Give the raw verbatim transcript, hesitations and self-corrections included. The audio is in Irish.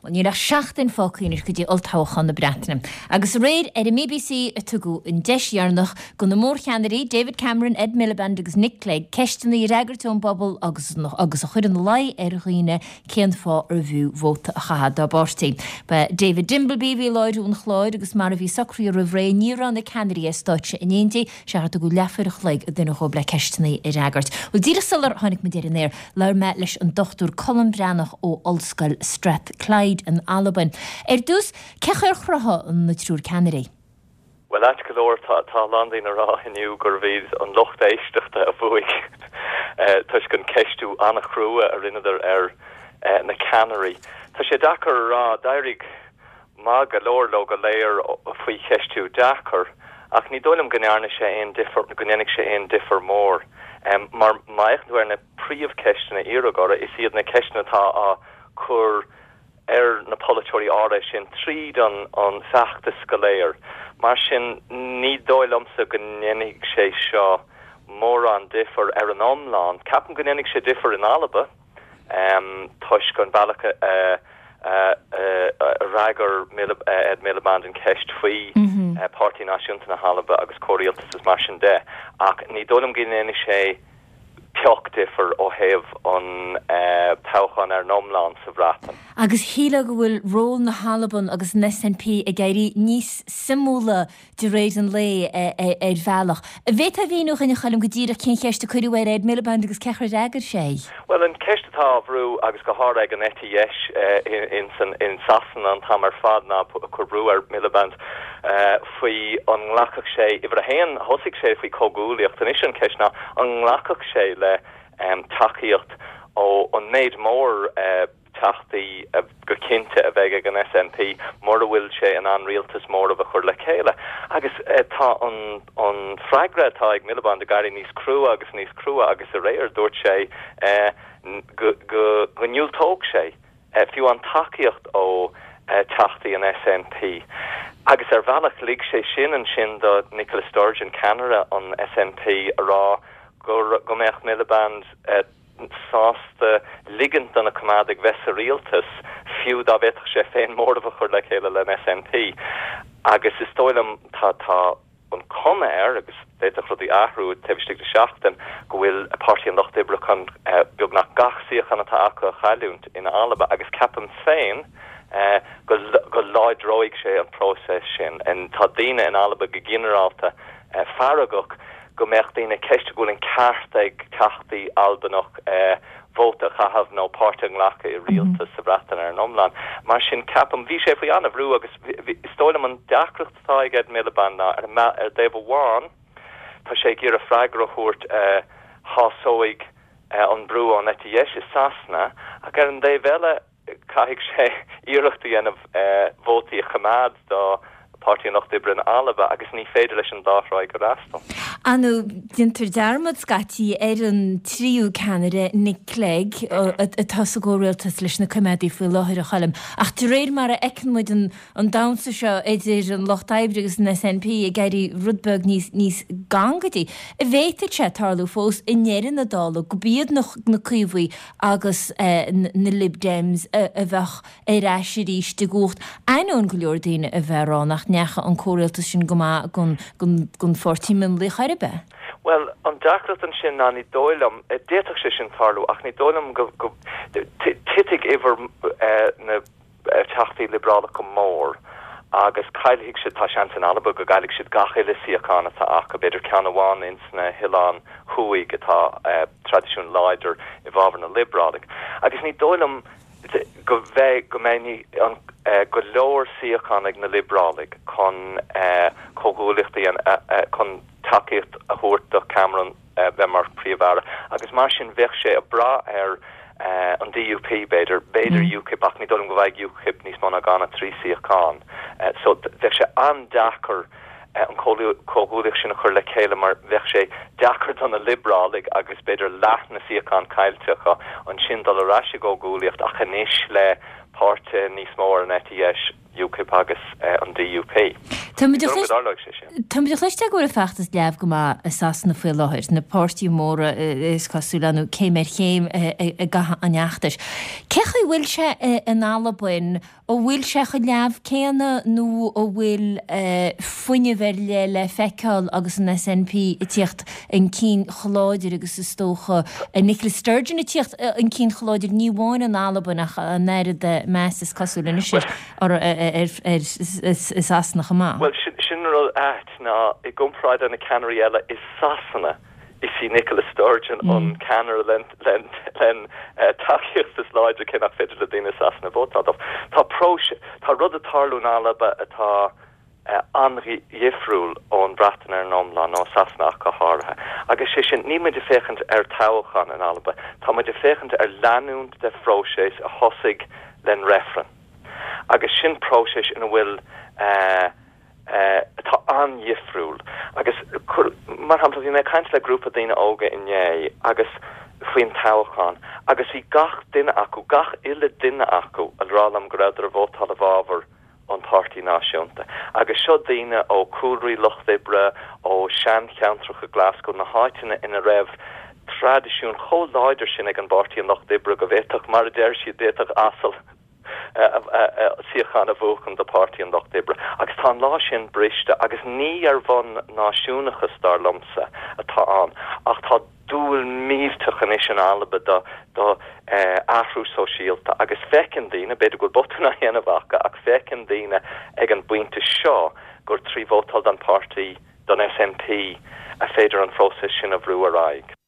Bhuel, níl ach seachtain fágtha anois go dtí olltoghchán na Breataine. Agus aréir ar an mBBC a tugadh an deis dheireanach do na mórcheannairí, David Cameron, Ed Miliband agus Nick Clegg, ceisteanna a fhreagairt ón bpobal agus agus a chur ina luí ar dhaoine cén fáth arbh fhiú vóta a chaitheamh dá bpáirtí. Ba David Dimbleby a bhí ag láithriú an chláir agus mar a bhí socraithe roimh ré, ní raibh na ceannairí ar stáitse in éindí, seachar tugadh leathuair a chloig do dhuine dhóibh le ceisteanna a fhreagairt. Bhuel, díreach sular tháinig muid ar an aer, labhair mé leis an Dochtúir Colm Breathnach ó Ollscoil Strathclyde in Albain. Ar dtús, cén chaoi ar chruthaigh na triúr ceannairí? Bhuel, ait go leor, tá tá a lán daoine ag rá inniu gurbh iad an lucht éisteachta a bhuaigh toisc an ceistiú an-chrua a rinneadar ar na ceannairí. Tá sé deacair a rá, d'éirigh maith go leor leo go léir faoi cheistiú deacair, ach ní dóigh liom go ndearna sé aon difear, go ndéanfaidh sé aon difear mór. Mar má fhéachann tú ar na príomhcheisteanna a iarradh orthu, is iad na ceisteanna atá á cur ar na polaiteoirí áirithe sin tríd an an feachtas go léir. Mar sin, ní dóigh liomsa go ndéanfaidh sé seo mórán difear ar an iomlán. Ceapaim go ndéanfaidh sé difear in Alba toisc an bealach a fhreagair Ed Miliband an cheist faoi Páirtí Náisiúnta na hAlba agus comhrialtas is mar sin de, ach ní dóigh liom go ndéanfaidh sé pioc difear ó thaobh an toghcháin ar an iomlán sa Bhreatain. Agus shílfeá go bhfuil ról na hAlban agus an S N P ag éirí níos suimiúla de réir an lae ar bhealach. An bhféadfá a mhíniú dúinn, a Choilm, go díreach cén cheist a cuireadh ar Ed Miliband agus cén chaoi ar fhreagair sé? Bhuel, an ceist atá á bhrú agus go háirithe ag an eite dheis in in Sasana an t-am ar fad ná cur brú ar Miliband faoi an nglacfadh sé, uimhir a haon, thosaigh sé faoi comhghuaillíocht, anois an ceist ná an nglacfadh sé le tacaíocht ó an méid mór teachtaí go cinnte a bheidh ag an S N P mura bhfuil sé in ann rialtas mór a chur le chéile. Agus tá an an freagra atá ag Miliband ag éirí níos crua agus níos crua agus aréir dúirt sé go go go ndiúltódh sé fiú an tacaíocht ó teachtaí an S N P. Agus ar bhealach lig sé sin ansin do Nicola Sturgeon, ceannaire an S N P, a rá go go mbeadh Miliband sásta ligint do na Coimeádaigh bheith sa rialtas fiú dá bhféadfadh sé féin móramh a chur le chéile le S N P. Agus is dóigh liom tá tá an cuma air agus d'fhéadfadh rudaí athrú taobh istigh de seachtain go bhfuil Páirtí an Lucht Oibre chun beagnach gach suíochán atá acu a chailliúint in Alba agus ceapaim féin go go láidreoidh sé an próiseas sin. En tá daoine in Alba go ginearálta feargach go mbeadh daoine ceist go bhfuil an ceart ag teachtaí Albanach vóta a chaitheamh nó páirt a ghlacadh i rialtas sa Bhreatain ar an iomlán. Mar sin ceapaim bhí sé faoi an-bhrú agus is dóigh liom an deacracht atá ag Ed Miliband ná ar ar dtaobh amháin tá sé ag iarraidh freagra a thabhairt shásóidh an brú ón eite dheis i Sasana ach ar an dtaobh eile caithfidh sé iarracht a dhéanamh vótaí a choimeád do Páirtí an Lucht Oibre in Alba agus ní féidir leis an dá thráigh a fhreastal. Anu déantar dearmad scaití ar an tríú ceannaire, Nick Clegg, atá sa gcomhrialtas leis na Coimeádaigh faoi láthair, a Choilm. Ach de réir mar a fheiceann muid an an damhsa seo idir an Lucht Oibre agus an S N P ag éirí rud beag níos níos gangaidí. An bhféadfadh sé tarlú fós i ndeireadh na dála gurb iad na na Caomhaigh agus na Lib Dems a bheadh ar ais arís i gcumhacht, ainneoin go leor daoine a bheith ag rá nach ndeachaigh an comhrialtas sin go maith don don pháirtí mionlaigh chor ar bith. Well, an deacracht ansin ná ní dóigh liom, d'fhéadfadh sé sin tarlú ach ní dóigh liom go go titfidh uimhir na teachtaí liobrálacha go mór agus caillfidh siad, tá seans in Alba go gcaillfidh siad gach uile suíochán atá acu, b'fhéidir ceann amháin ins na hoileáin thuaidh atá traidisiún láidir i bhfabhar na liobrálaigh. Agus ní dóigh liom go bheidh go mbeidh an go leor suíochán ag na liobrálaigh chun comhghuaillíocht chun tacaíocht a thabhairt do Cameron bheith mar phríomh-aire agus mar sin bheadh sé ag brath ar an D U P b'fhéidir, b'fhéidir UKIP ach ní dóigh liom go bhfaighidh UKIP níos mó ná dhá nó trí suíochán. So bheadh sé an-deacair an comhghuaillíocht sin a chur le chéile mar bheadh sé deacair do na liobrálaigh agus b'fhéidir leath na suíochán caillte acu ansin dul ar ais i gcomhghuaillíocht ach anois le páirtithe níos mó ar an eite dheis, UKIP agus an D U P. Tá muid ag cloisteáil go bhfuil an feachtas leamh go maith i Sasana faoi láthair, na páirtithe móra is cosúil nó céim ar chéim i gcaitheamh an fheachtais. Cé chaoi chaoi a bhfuil sé in Albain, an bhfuil sé chomh leamh céanna nó an bhfuil fuinneamh ar leith le feiceáil agus an SNP ag tíocht chun cinn chomh láidir agus is dócha Nicola Sturgeon ag tíocht chun cinn chomh láidir ní amháin in Albain ach an oiread meas is cosúil anois air i Sasana chomh maith. Bhuel, sin an rud ait ná i gcomparáid le na ceannairí eile i Sasana, Is í Nicola Sturgeon an ceannaire len tacaíocht is láidre cé nach féidir le daoine i Sasana vótáil dó. Tá próiseas, tá rud ag tarlú in Alba atá an-dhifriúil ón Bhreatain ar an iomlán, nó Sasana ach go háirithe. Agus sé sin, níl muid ag féachaint ar toghchán in Alba, tá muid ag féachaint ar leanúint de phróiseas a thosaigh len reifreann. Agus sin próiseas ina bhfuil atá an-dhifriúil. Agus, mar shampla, bhí mé ag caint le grúpa daoine óga inné agus faoin toghchán agus bhí gach duine acu, gach uile duine acu, ag rá liom go rabhadar ag vótáil i bhfabhar an Páirtí Náisiúnta. Agus seo daoine ó chúlraí lucht oibre, ó sheancheantracha Glasgow, na háiteanna ina raibh traidisiún chomh láidir sin ag an bPáirtí an Lucht Oibre go bhféadfadh, mar a deir siad, d'fhéadfadh asal suíochán a bhuachan do Páirtí an Lucht Oibre. Agus tá an lá sin briste agus ní ar bhonn náisiúnachas, dar liomsa, atá ann, ach tá dúil millteach anois in Alba do do athrú sóisialta agus feiceann daoine, b'fhéidir go bhfuil botún á dhéanamh acu, ach feiceann daoine ag an bpointe seo gur trí vótáil don páirtí, don SNP, a féidir an phróiseas sin a bhrú ar aghaidh.